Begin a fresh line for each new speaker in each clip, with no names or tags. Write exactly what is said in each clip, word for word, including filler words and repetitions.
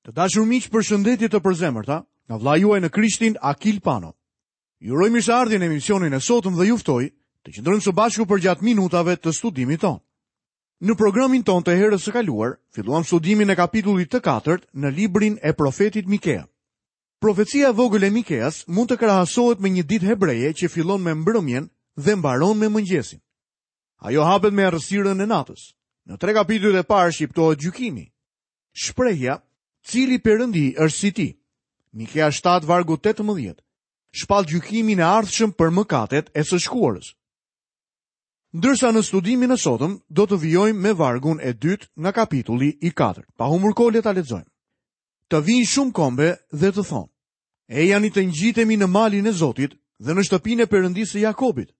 Të dashur miq, përshëndetje të përzemërta nga vëllai juaj në Krishtin Akil Pano. Ju uroj mirëseardhjen në emisionin e sotëm dhe ju ftoj të qëndrojmë së bashku përgjatë minutave të studimit tonë. Në programin tonë të herës së kaluar, filluam studimin e kapitullit të katërt në librin e profetit Mikea. Profecia e vogël e Mikeas mund të krahasohet me një ditë hebreje që fillon me mbrëmjen dhe mbaron me mëngjesin. Ajo hapet me errësirën e natës. Në tre kapitujt e parë shqiptohet gjykimi. Shprehja, cili perëndi është si ti? Mikea shtatë vargu tetëmbëdhjetë. Shpall gjykimin e ardhshëm për mëkatet e së shkuarës. Ndërsa në studimin e sotëm do të vijojmë me vargun e dytë nga kapitulli i katërt. Pa humbur kohë le ta lexojmë. Të vijnë shumë kombe dhe të thonë: Ejani të ngjitemi në malin e Zotit dhe në shtëpinë e Perëndisë së Jakobit.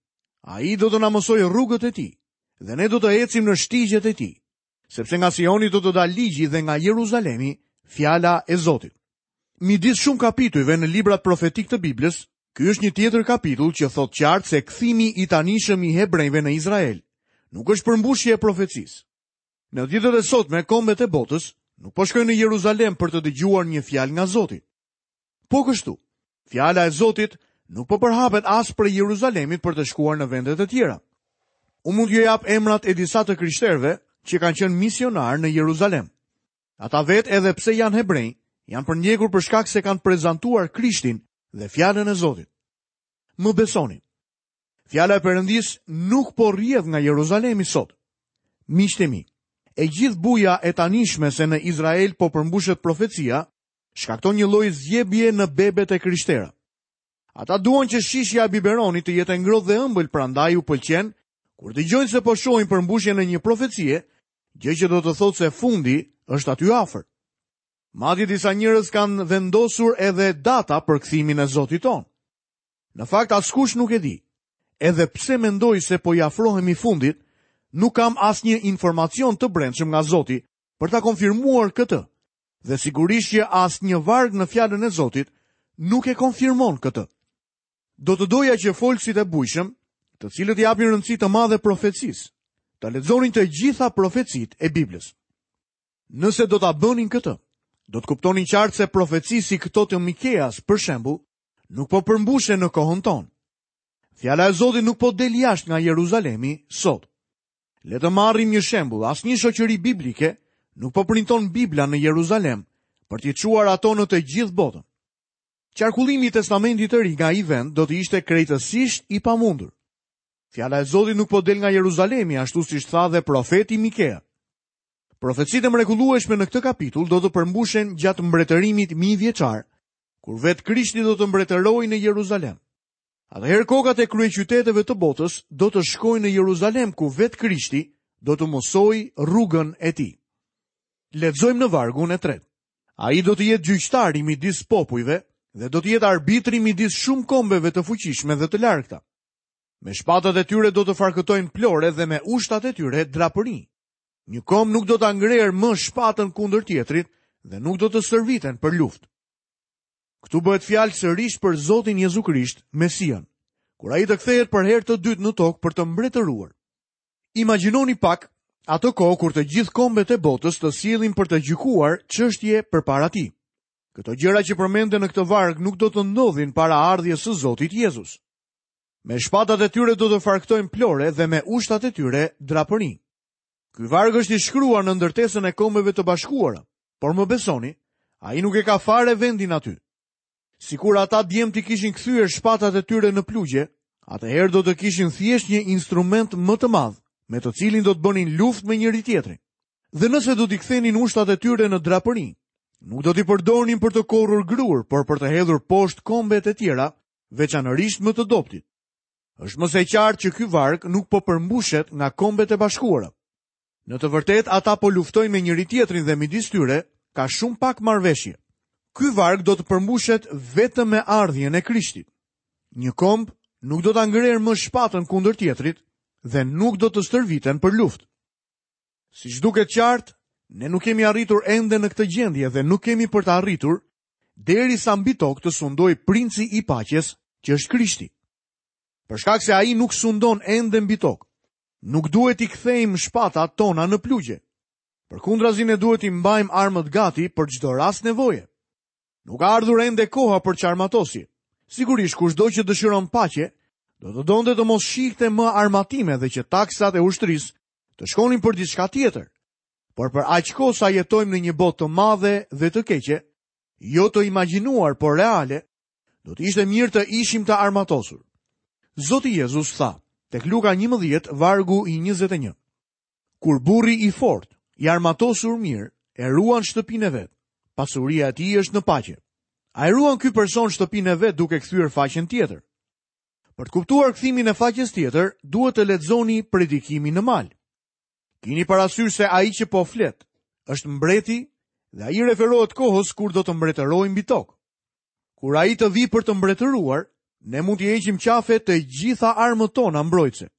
Ai do të na mësojë rrugët e tij dhe ne do të ecim në shtigjet e tij, sepse nga Sioni do të dalë ligji dhe nga Jeruzalemi fjala e Zotit. Midis shumë kapitujve në librat profetik të Biblës, ky është një tjetër kapitull që thotë qartë se kthimi i tanishëm i hebrejve në Izrael nuk është përmbushje e profecisë. Në ditët e sotme, kombet e botës nuk po shkojnë në Jeruzalem për të dëgjuar një fjalë nga Zoti. Po kështu, fjala e Zotit nuk po përhapet as prej Jeruzalemit për të shkuar në vendet e tjera. Unë mund t'ju jap emrat e disa të krishterëve që kanë qenë misionar në Jeruzalem. Ata vetë, edhe pse janë hebrenj, janë përndjekur për shkak se kanë prezantuar Krishtin dhe fjalën e Zotit. Më besoni, fjala e Perëndisë nuk po rrjedh nga Jeruzalemi sot. Miqtë e mi, e gjithë buja e tanishme se në Izrael po përmbushet profecia, shkakton një lloj zgjebje në bebet e krishtera. Ata duan që shishja e biberonit të jetë e ngrohtë dhe ëmbël, prandaj u pëlqen kur dëgjojnë se po shohin përmbushjen e një profecie, gjë që do të thotë se fundi është aty afër. Madje disa njerëz kanë vendosur edhe data për kthimin e Zotit ton. Në fakt askush nuk e di. Edhe pse mendoj se po i afrohemi fundit, nuk kam asnjë informacion të brendshëm nga Zoti për ta konfirmuar këtë. Dhe sigurisht që asnjë varg në fjalën e Zotit nuk e konfirmon këtë. Do të doja që folësit e bujshëm, të cilët i japin rëndësi të madhe profecisë, të lexonin të gjitha profecitë e Biblës. Nëse do ta bënin këtë, do të kuptonin qartë se profeci si këto të Mikeas, për shembull, nuk po përmbushen në kohën tonë. Fjala e Zotit nuk po del jashtë nga Jeruzalemi sot. Le të marrim një shembull, asnjë shoqëri biblike nuk po printon Bibla në Jeruzalem për t'i çuar ato në të gjithë botën. Qarkullimi i Testamentit të Ri nga ai vend do të ishte krejtësisht i pamundur. Fjala e Zotit nuk po del nga Jeruzalemi, ashtu siç tha dhe profeti Mikea. Profecitë e mrekullueshme në këtë kapitull do të përmbushen gjatë mbretërimit mijëvjeçar, kur vetë Krishti do të mbretërojë në Jeruzalem. Atëherë kokat e kryeqyteteve të botës do të shkojnë në Jeruzalem, ku vetë Krishti do të mësojë rrugën e tij. Lexojmë në vargun e tretë. Ai do të jetë gjyqtari midis popujve dhe do të jetë arbitri midis shumë kombeve të fuqishme dhe të largëta. Me shpatat e tyre do të farkëtojnë plore dhe me ushtat e tyre drapërinj. Një komb nuk do ta ngrerë më shpatën kundër tjetrit dhe nuk do të stërviten për luftë. Këtu bëhet fjalë sërish për Zotin Jezu Krisht, Mesian, kur ai të kthehet për herë të dytë në tokë për të mbretëruar. Imagjinoni pak atë kohë kur të gjithë kombet e botës të sjellin për të gjykuar çështje përpara tij. Këto gjëra që përmenden në këtë varg nuk do të ndodhin para ardhjes së Zotit Jezus. Me shpatat e tyre do të farkëtojnë plore dhe me ushtat e tyre drapërinj. Ky varg është i shkruar në ndërtesën e Kombeve të Bashkuara, por më besoni, ai nuk e ka fare vendin aty. Sikur ata djem t'i kishin kthyer shpatat e tyre në plugje, atëherë do të kishin thjesht një instrument më të madh, me të cilin do të bënin luftë me njëri tjetrin. Dhe nëse do t'i kthenin ushtat e tyre në drapërinj, nuk do t'i përdornin për të korrur grur, por për të hedhur poshtë kombet e tjera, veçanërisht më të dobtit. Është më se e qartë që ky varg nuk po përmbushet nga Kombet e Bashkuara. Në të vërtetë, ata po luftojnë me njëri tjetrin dhe midis tyre ka shumë pak marrëveshje. Ky varg do të përmbushet vetëm me ardhjen e Krishtit. Një komb nuk do ta ngrerë më shpatën kundër tjetrit dhe nuk do të stërviten për luftë. Siç duket qartë, ne nuk kemi arritur ende në këtë gjendje dhe nuk kemi për të arritur derisa mbi tokë të sundojë princi i paqes, që është Krishti. Për shkak se ai nuk sundon ende mbi tokë, nuk duhet t'i kthejmë shpatat tona në plugje. Përkundrazi ne duhet t'i mbajmë armët gati për çdo rast nevoje. Nuk ka ardhur ende koha për çarmatosje. Sigurisht kushdo që dëshiron paqe, do të donte të mos shihte më armatime dhe që taksat e ushtrisë të shkonin për diçka tjetër. Por për aq kohë sa jetojmë në një botë të madhe dhe të keqe, jo të imagjinuar, por reale, do të ishte mirë të ishim të armatosur. Zoti Jezus tha, tek Luka njëmbëdhjetë, vargu i njëzet e një. Kur burri i fortë, i armatosur mirë, e ruan shtëpinë e vet, pasuria e tij është në paqe. A e ruan ky person shtëpinë e vet duke kthyer faqen tjetër? Për të kuptuar kthimin e faqes tjetër, duhet të lexoni predikimin në mal. Kini parasysh se ai që po flet është mbreti dhe ai referohet kohës kur do të mbretërojë mbi tokë. Kur ai të vi për të mbretëruar, ne mund t'i heqim qafe të gjitha armët tona mbrojtëse.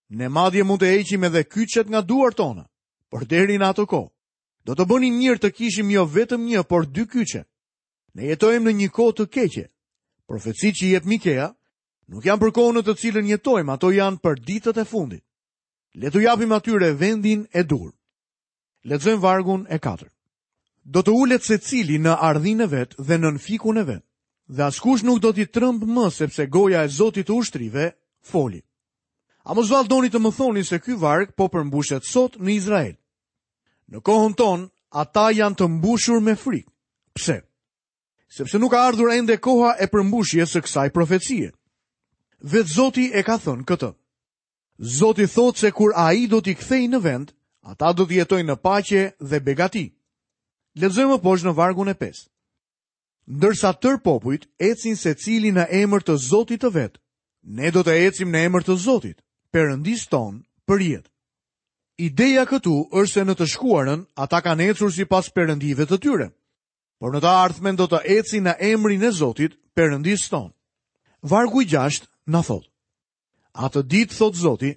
Ne madje mund të heqim edhe kyçet nga duart tona, por deri në atë kohë do të bënim mirë të kishim jo vetëm një, por dy kyçe. Ne jetojmë në një kohë të keqe. Profecitë që jep Mikea nuk janë për kohën në të cilën jetojmë, ato janë për ditët e fundit. Le t'u japim atyre vendin e duhur. Lexojmë vargun e katërt. Do të ulet secili në ardhin e vet dhe nën fikun e vet, dhe askush nuk do t'i tremb më, sepse goja e Zotit të ushtrive foli. A mos vallë doni të më thoni se ky varg po përmbushet sot në Izrael? Në kohën tonë, ata janë të mbushur me frikë. Pse? Sepse nuk ka ardhur ende koha e përmbushjes së kësaj profecie. Vetë Zoti e ka thënë këtë. Zoti thotë se kur ai do t'i kthejë në vend, ata do të jetojnë në paqe dhe begati. Lexojmë më poshtë në vargun e pestë. Ndërsa tër popujt ecin secili në emër të Zotit të vet, ne do të ecim në emër të Zotit, Perëndis ton, për jetë. Ideja këtu është se në të shkuarën ata kanë ecur sipas perëndive të tyre, por në të ardhmen do të ecin në emrin e Zotit, Perëndis ton. Vargu i gjashtë na thotë: Atë ditë, thotë Zoti,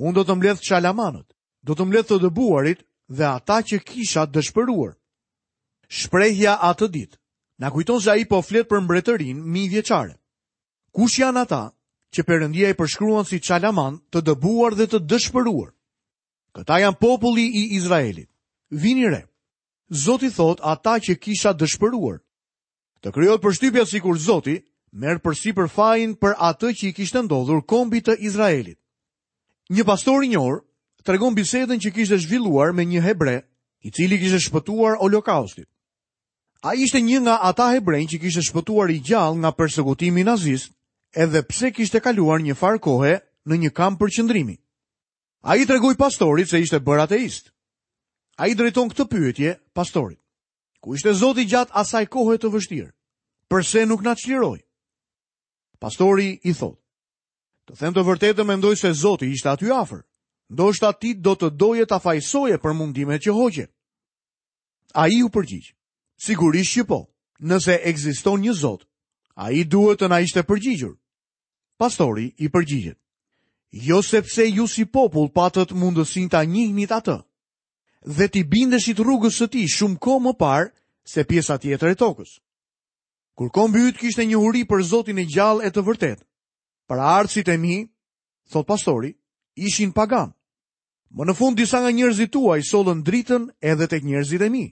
unë do të mbledh çalamanët, do të mbledh të dëbuarit dhe ata që kisha dëshpëruar. Shprehja atë ditë na kujton se ai po flet për mbretërinë mijëvjeçare. Kush janë ata që Perëndia i përshkruan si çalaman, të dëbuar dhe të dëshpëruar? Këta janë populli i Izraelit. Vini re. Zoti thot ata që kisha dëshpëruar. Të krijohet përshtypja sikur Zoti merr përsipër fajin për atë që i kishte ndodhur kombit të Izraelit. Një pastor i njohur tregon bisedën që kishte zhvilluar me një hebre, i cili kishte shpëtuar Holokaustit. Ai ishte një nga ata hebrenj që kishte shpëtuar i gjallë nga persekutimi nazist, edhe pse kishte kaluar një farë kohe në një kamp përqendrimi. Ai tregoi pastorit se ishte bërë ateist. Ai drejton këtë pyetje pastorit: Ku ishte Zoti gjatë asaj kohe të vështirë? Përse nuk na çliroi? Pastori i thotë: Të them të vërtetën, mendoj se Zoti ishte aty afër. Ndoshta ti do të doje ta fajsoje për mundimet që hoqe. Ai u përgjigj: Sigurisht që po, nëse ekziston një Zot, ai duhet të na ishte përgjigjur. Pastori i përgjigjet: Jo sepse ju si popull patët mundësinë ta njihnit atë dhe t'i bindeshit rrugës së tij shumë kohë më parë se pjesa tjetër e tokës. Kur kombi yt kishte njohuri për Zotin e gjallë e të vërtetë, paraardhësit e mi, thot pastori, ishin pagan. Më në fund disa nga njerëzit tuaj sollën dritën edhe tek njerëzit e mi,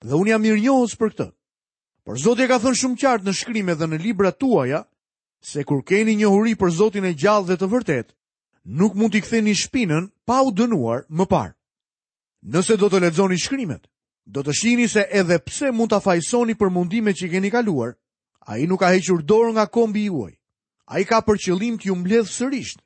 dhe unë jam mirënjohës për këtë. Por Zoti e ka thënë shumë qartë në shkrime dhe në librat tuaja se kur keni njohuri për Zotin e gjallë dhe të vërtetë, nuk mund t'i ktheni shpinën pa u dënuar më parë. Nëse do të lexoni shkrimet, do të shihni se edhe pse mund ta fajsoni për mundimet që keni kaluar, ai nuk ka hequr dorë nga kombi juaj. Ai ka për qëllim t'ju mbledh sërish.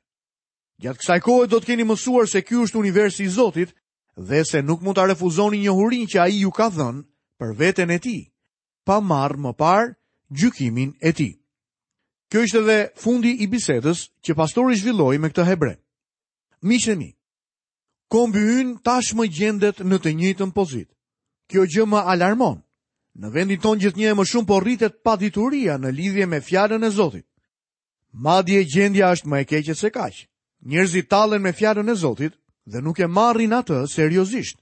Gjatë kësaj kohe do të keni mësuar se ky është universi i Zotit dhe se nuk mund ta refuzoni njohurinë që ai ju ka dhënë për veten e tij, pa marrë më parë gjykimin e tij. Kjo ishte edhe fundi i bisedës që pastori zhvilloi me këtë hebre. Miqtë e mi, kombi ynë tashmë gjendet në të njëjtën pozitë. Kjo gjë më alarmon. Në vendin tonë gjithnjë e më shumë po rritet padituria në lidhje me fjalën e Zotit. Madje gjendja është më e keqe se kaq. Njerëzit tallen me fjalën e Zotit dhe nuk e marrin atë seriozisht.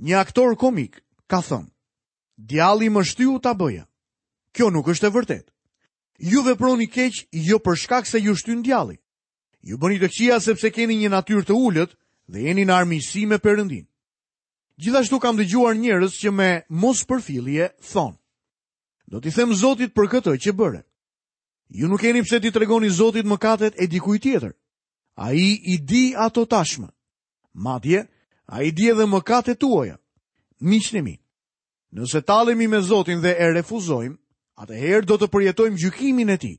Një aktor komik ka thënë: Djalli më shtyu ta bëja. Kjo nuk është e vërtetë. Ju veproni keq jo për shkak se ju shtyn djalli. Ju bëni të këqija sepse keni një natyrë të ulët dhe jeni në armiqësi me Perëndin. Gjithashtu kam dëgjuar njerëz që me mospërfillje thonë: Do t'i them Zotit për këtë që bëre. Ju nuk keni pse t'i tregoni Zotit mëkatet e dikujt tjetër. Ai i di ato tashmë. Madje, ai di edhe mëkatet tuaja. Miqtë e mi, nëse tallemi me Zotin dhe e refuzojmë, atëherë do të përjetojmë gjykimin e tij.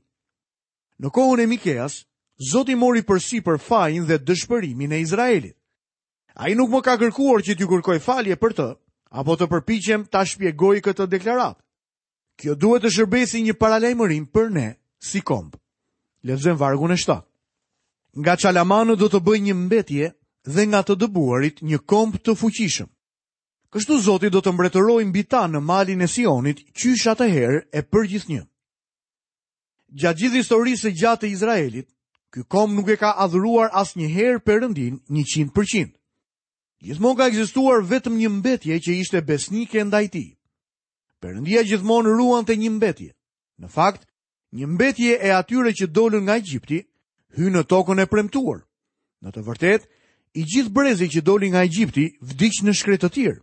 Në kohën e Mikeas, Zoti mori përsipër fajin dhe dëshpërimin e Izraelit. Ai nuk më ka kërkuar që t'ju kërkoj falje për të, apo të përpiqem ta shpjegoj këtë deklaratë. Kjo duhet të shërbejë si një paralajmërim për ne si komb. Lexojmë vargun e shtatë. Nga çalamanët do të bëj një mbetje dhe nga të dëbuarit një komb të fuqishëm. Kështu Zoti do të mbretërojë mbi ta në malin e Sionit, qysh atëherë e përgjithnjë. Gjatë gjithë historisë së gjatë të Izraelit, ky komb nuk e ka adhuruar asnjëherë Perëndin njëqind përqind. Gjithmonë ka ekzistuar vetëm një mbetje që ishte besnike ndaj tij. Perëndia gjithmonë ruante një mbetje. Në fakt, një mbetje e atyre që dolën nga Egjipti hyn në tokën e premtuar. Në të vërtetë, i gjithë brezi që doli nga Egjipti vdiq në shkretëtirë.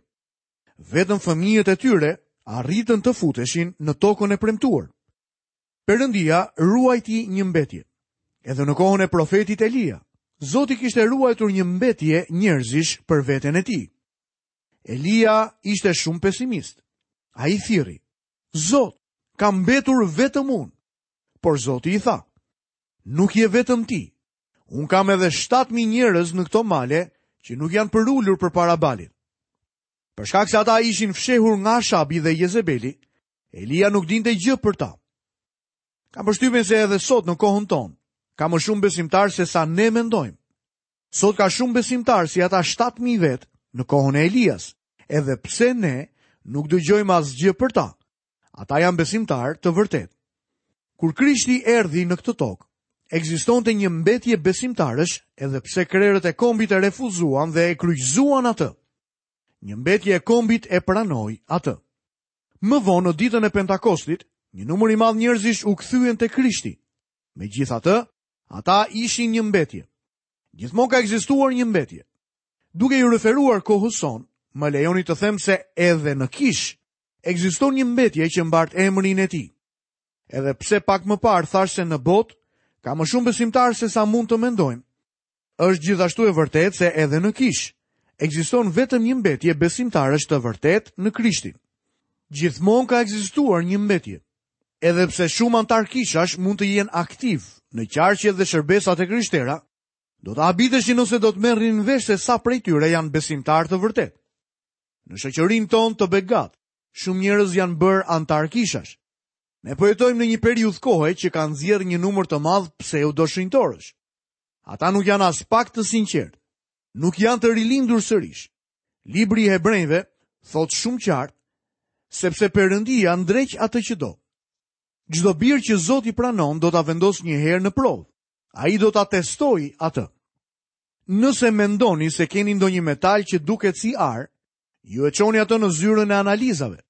Vetëm fëmijët e tyre arritën të futeshin në tokën e premtuar. Perëndia ruajti një mbetje. Edhe në kohën e profetit Elia, Zoti kishte ruajtur një mbetje njerëzish për veten e tij. Elia ishte shumë pesimist. Ai thirri: Zot, kam mbetur vetëm unë. Por Zoti i tha: Nuk je vetëm ti. Unë kam edhe shtatë mijë njerëz në këto male që nuk janë përulur përpara Balit. Për shkak se ata ishin fshehur nga Ashabi dhe Jezebeli, Elia nuk dinte gjë për ta. Kam përshtypjen se edhe sot në kohën tonë ka më shumë besimtar se sa ne mendojmë. Sot ka shumë besimtar si ata shtatë mijë vet në kohën e Elias, edhe pse ne nuk dëgjojmë asgjë për ta. Ata janë besimtar të vërtetë. Kur Krishti erdhi në këtë tokë, ekzistonte një mbetje besimtarësh, edhe pse krerët e kombit e refuzuan dhe e kryqëzuan atë. Një mbetje e kombit e pranoi atë. Më vonë në ditën e Pentakostit, një numër i madh njerëzish u kthyen te Krishti. Megjithatë, ata ishin një mbetje. Gjithmonë ka ekzistuar një mbetje. Duke ju referuar kohës sonë, më lejoni të them se edhe në kish ekziston një mbetje që mbart emrin e tij. Edhe pse pak më parë thash se në botë ka më shumë besimtar se sa mund të mendojmë, është gjithashtu e vërtetë se edhe në kish ekziston vetëm një mbetje besimtarësh të vërtetë në Krishtin. Gjithmonë ka ekzistuar një mbetje. Edhe pse shumë antar kishash mund të jenë aktiv në qarqet dhe shërbesat e krishtera, do të habiteshin nëse do të merrnin vesh se sa prej tyre janë besimtar të vërtetë. Në shoqërinë tonë të begat, shumë njerëz janë bërë antar kishash. Ne po jetojmë në një periudhë kohe që ka nxjerrë një numër të madh pseudo-shenjtorësh. Ata nuk janë as pak të sinqertë, nuk janë të rilindur sërish. Libri i Hebrejve thotë shumë qartë, sepse Perëndia ndreq atë që do. Çdo bir që Zoti pranon do ta vendos një herë në provë. Ai do ta testojë atë. Nëse mendoni se keni ndonjë metal që duket si ar, ju e çoni atë në zyrën e analizave.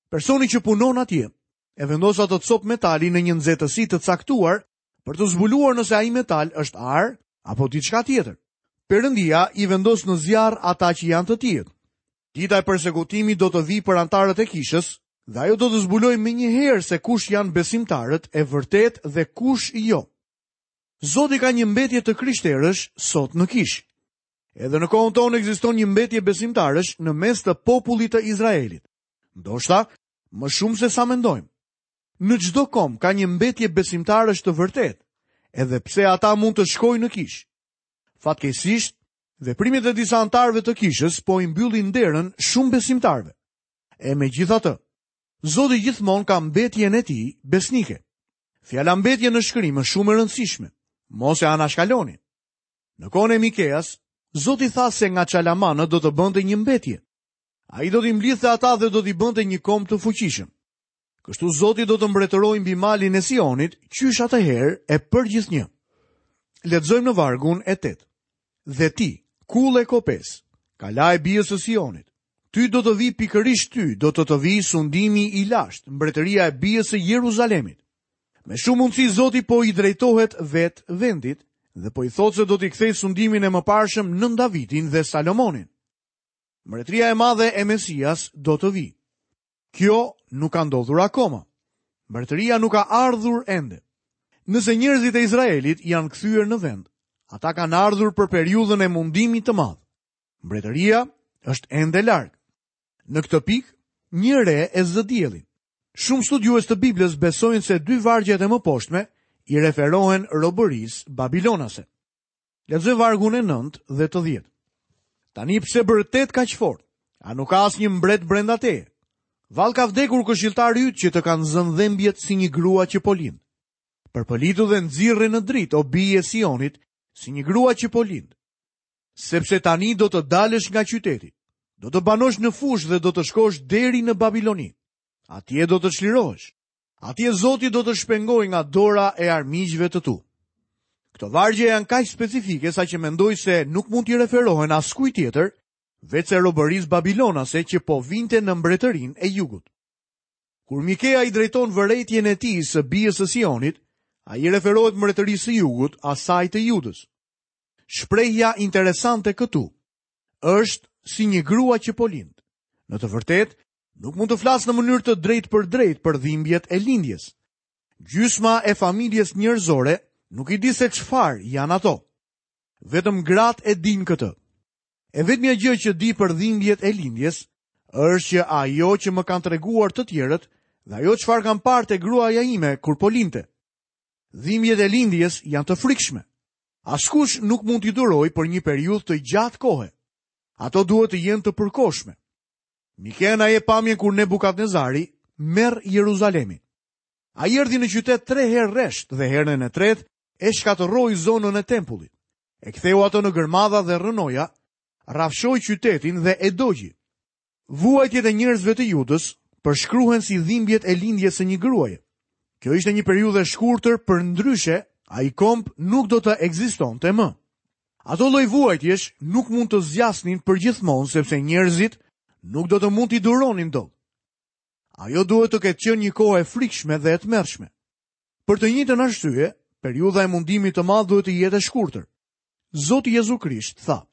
Personi që punon atje e vendos atë copë metali në një nxehtësi të caktuar për të zbuluar nëse ai metal është ar apo diçka tjetër. Perëndia i vendos në zjarr ata që janë të tillë. Dita e persekutimit do të vijë për antarët e kishës dhe ajo do të zbulojë më një herë se kush janë besimtarët e vërtet dhe kush jo. Zoti ka një mbetje të krishterësh sot në kishë. Edhe në kohën tonë ekziston një mbetje besimtarësh në mes të popullit të Izraelit. Ndoshta më shumë se sa mendojmë. Në çdo komb ka një mbetje besimtarësh të vërtet, edhe pse ata mund të shkojnë në kishë. Fatkeqësisht, veprimet e disa antarëve të kishës po i mbyllin derën shumë besimtarëve. E megjithatë, Zoti gjithmonë ka mbetjen e tij besnike. Fjala mbetje në shkrim është shumë e rëndësishme. Mos e anashkaloni. Në kohën e Mikeas, Zoti tha se nga çalamanët do të bënte një mbetje. Ai do t'i mblidhte ata dhe do t'i bënte një komb të fuqishëm. Kështu Zoti do të mbretërojë mbi malin e Sionit, qysh atëherë e përgjithnjë. Lexojmë në vargun e tetë. Dhe ti, kullë e kopes, kala e bijës së Sionit, ty do të vi pikërisht ty, do të të vi sundimi i lashtë, mbretëria e bijës së Jeruzalemit. Me shumë mundësi Zoti po i drejtohet vetë vendit dhe po i thotë se do t'i kthej sundimin e mëparshëm nën Davidin dhe Salomonin. Mbretëria e madhe e Mesias do të vijë. Kjo nuk ka ndodhur akoma. Mbretëria nuk ka ardhur ende. Nëse njerëzit e Izraelit janë kthyer në vend, ata kanë ardhur për periudhën e mundimit të madh. Mbretëria është ende larg. Në këtë pikë, një re e zë diellin. Shumë studiues të Biblës besojnë se dy vargjet e mëposhtme i referohen robërisë babilonase. Lexoj vargun e nëntë dhe të dhjetë. Tani pse bërtet kaq fort? A nuk ka asnjë mbret brenda teje? Vallë ka vdekur këshilltari yt që të kanë zënë dhembjet si një grua që po lind. Përpëlitu dhe nxirre në dritë, o bijë e Sionit, si një grua që po lind. Sepse tani do të dalësh nga qyteti, do të banosh në fushë dhe do të shkosh deri në Babiloni. Atje do të çlirohesh. Atje Zoti do të shpengojë nga dora e armiqve të tu. Këto vargje janë kaq specifike sa që mendoj se nuk mund t'i referohen askujt tjetër, veç se robërisë babilonase që po vinte në mbretërinë e jugut. Kur Mikea i drejton vërejtjen e tij së bijës së Sionit, ai i referohet mbretërisë së jugut, asaj të Judës. Shprehja interesante këtu është si një grua që po lind. Në të vërtetë, nuk mund të flas në mënyrë të drejtë për drejtë për dhimbjet e lindjes. Gjysma e familjes njerëzore nuk i di se çfarë janë ato. Vetëm gratë e dinë këtë. E vetmja gjë që di për dhimbjet e lindjes është që ajo që më kanë treguar të tjerët dhe ajo çfarë kam parë te gruaja ime kur po linte. Dhimbjet e lindjes janë të frikshme. Askush nuk mund t'i durojë për një periudhë të gjatë kohe. Ato duhet të jenë të përkohshme. Mikea na jep pamjen kur Nebukadnezari merr Jeruzalemin. Ai erdhi në qytet tre herë rresht dhe herën e tretë e shkatërroi zonën e tempullit. E ktheu atë në gërmadha dhe rrënoja, rrafshoi qytetin dhe e dogji. Vuajtjet e njerëzve të Judës përshkruhen si dhimbjet e lindjes së një gruaje. Kjo ishte një periudhë e shkurtër, përndryshe ai komb nuk do të ekzistonte më. Ato lloj vuajtjesh nuk mund të zgjasnin përgjithmonë sepse njerëzit nuk do të mund t'i duronin dot. Ajo duhet të ketë qenë një kohë e frikshme dhe e tmerrshme. Për të njëjtën arsye, periudha e mundimit të madh duhet të jetë e shkurtër. Zoti Jezu Krisht tha: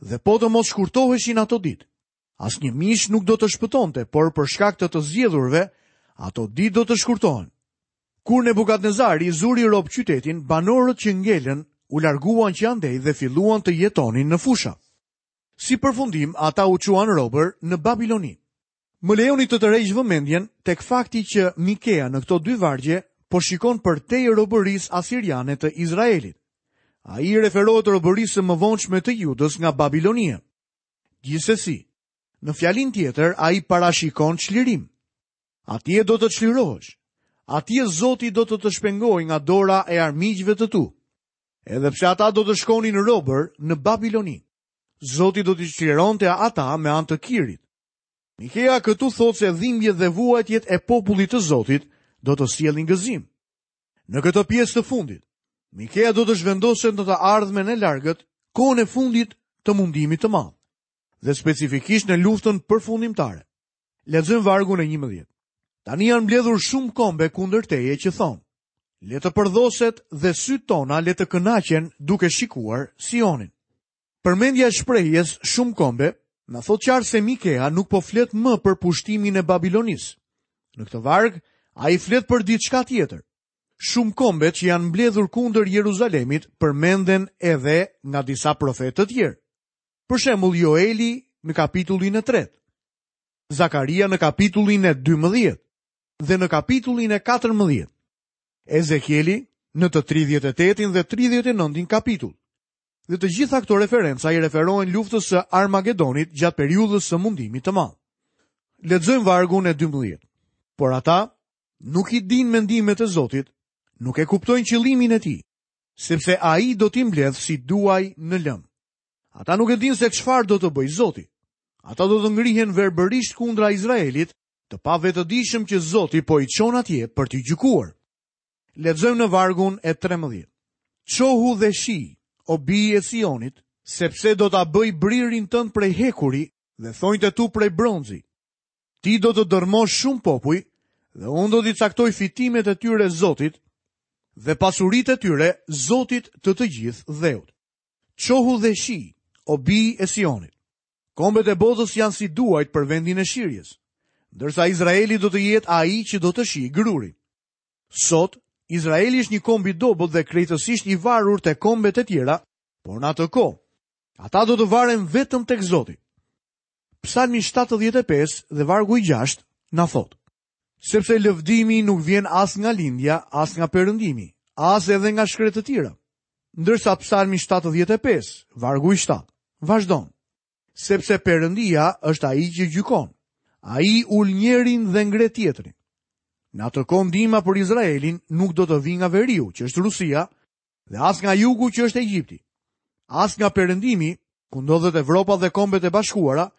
Dhe po të mos shkurtoheshin ato ditë, asnjë mish nuk do të shpëtonte, por për shkak të të zgjedhurve, ato ditë do të shkurtohen. Kur Nebukadnezari zuri rob qytetin, banorët që ngelën u larguan që andej dhe filluan të jetonin në fusha. Si përfundim, ata u çuan robër në Babiloni. Më lejoni të tërheq vëmendjen tek fakti që Mikea në këto dy vargje po shikon përtej robërisë asiriane të Izraelit. Ai i referohet robërisë së mëvonshme të Judës nga Babilonia. Gjithsesi, në fjalin tjetër ai parashikon çlirim. Atje do të çlirohesh. Atje Zoti do të të shpengojë nga dora e armiqve të tu. Edhe pse ata do të shkonin robër në Babiloni, Zoti do t'i çlironte ata me anë të Kirit. Mikea këtu thotë se dhimbjet dhe vuajtjet e popullit të Zotit do të sjellin gëzim. Në këtë pjesë të fundit, Mikea do të zhvendoset në të ardhmen e largët, kohën e fundit të mundimit të madh, dhe specifikisht në luftën përfundimtare. Lexojmë vargun e njëmbëdhjetë. Tani janë mbledhur shumë kombe kundër teje që thonë: Le të përdhoset dhe sytë tona le të kënaqen duke shikuar Sionin. Përmendja e shprehjes shumë kombe na thotë qartë se Mikea nuk po flet më për pushtimin e Babilonisë. Në këtë varg, ai flet për diçka tjetër. Shumë kombe që janë mbledhur kundër Jeruzalemit përmenden edhe nga disa profetë të tjerë. Për shembull, Joeli në kapitullin e tretë, Zakaria në kapitullin e dymbëdhjetë dhe në kapitullin e katërmbëdhjetë, Ezekieli në të tridhjetë e tetin dhe tridhjetë e nëntin kapitull. Dhe të gjitha këto referenca i referohen luftës së Armagedonit gjatë periudhës së mundimit të madh. Lexojmë vargun e dymbëdhjetë. Por ata nuk i dinë mendimet e Zotit, nuk e kuptojnë qëllimin e tij, sepse ai do t'i mbledh si duaj në lëm. Ata nuk e dinë se çfarë do të bëjë Zoti. Ata do të ngrihen verbërisht kundra Izraelit, të pavetëdijshëm që Zoti po i çon atje për t'i gjykuar. Lexojmë në vargun e trembëdhjetë. Çohu dhe shi, o bijë e Sionit, sepse do ta bëj bririn tënd prej hekuri dhe thonjtë e tu prej bronzi. Ti do të dërmosh shumë popuj dhe unë do t'i caktoj fitimet e tyre Zotit dhe pasuritë e tyre Zotit të të gjithë dheut. Çohu dhe shi, o bijë e Sionit. Kombet e botës janë si duajt për vendin e shirjes, ndërsa Izraeli do të jetë ai që do të shijë grurin. Sot, Izraeli është një komb i dobët dhe krejtësisht i varur te kombet e tjera, por në atë kohë, ata do të varen vetëm tek Zoti. Psalmi shtatëdhjetë e pesë dhe vargu i gjashtë na thotë: Sepse lëvdimi nuk vjen as nga lindja, as nga perëndimi, as edhe nga shkretëtira. Ndërsa Psalmi shtatëdhjetë e pesë, vargu i shtatë, vazhdon: Sepse Perëndia është ai që gjykon. Ai ul njërin dhe ngre tjetrin. Në atë kohë ndihma për Izraelin nuk do të vijë nga veriu, që është Rusia, dhe as nga jugu, që është Egjipti, as nga perëndimi, ku ndodhet Evropa dhe Kombet e Bashkuara,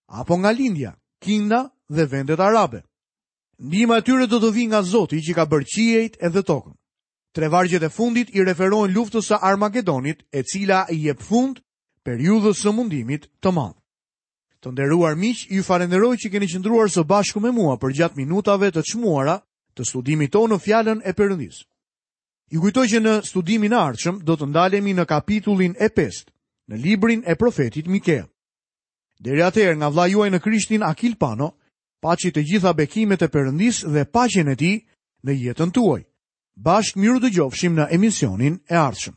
apo nga lindja, Kina dhe vendet arabe. Ndihma e tyre do të vijë nga Zoti që ka bërë qiejt edhe tokën. Tre vargjet e fundit i referohen luftës së Armagedonit, e cila i jep fund periudhës së mundimit të madh. Të nderuar miq, ju falenderoj që keni qëndruar së bashku me mua përgjatë minutave të çmuara të studimit tonë në fjalën e Perëndisë. Ju kujtoj që në studimin e ardhshëm do të ndalemi në kapitullin e pestë, në librin e profetit Mikea. Deri atëherë, nga vëllai juaj në Krishtin Akil Pano, paçi të gjitha bekimet e Perëndisë dhe paqen e tij në jetën tuaj. Bashkë miru dëgjofshim në emisionin e ardhshëm.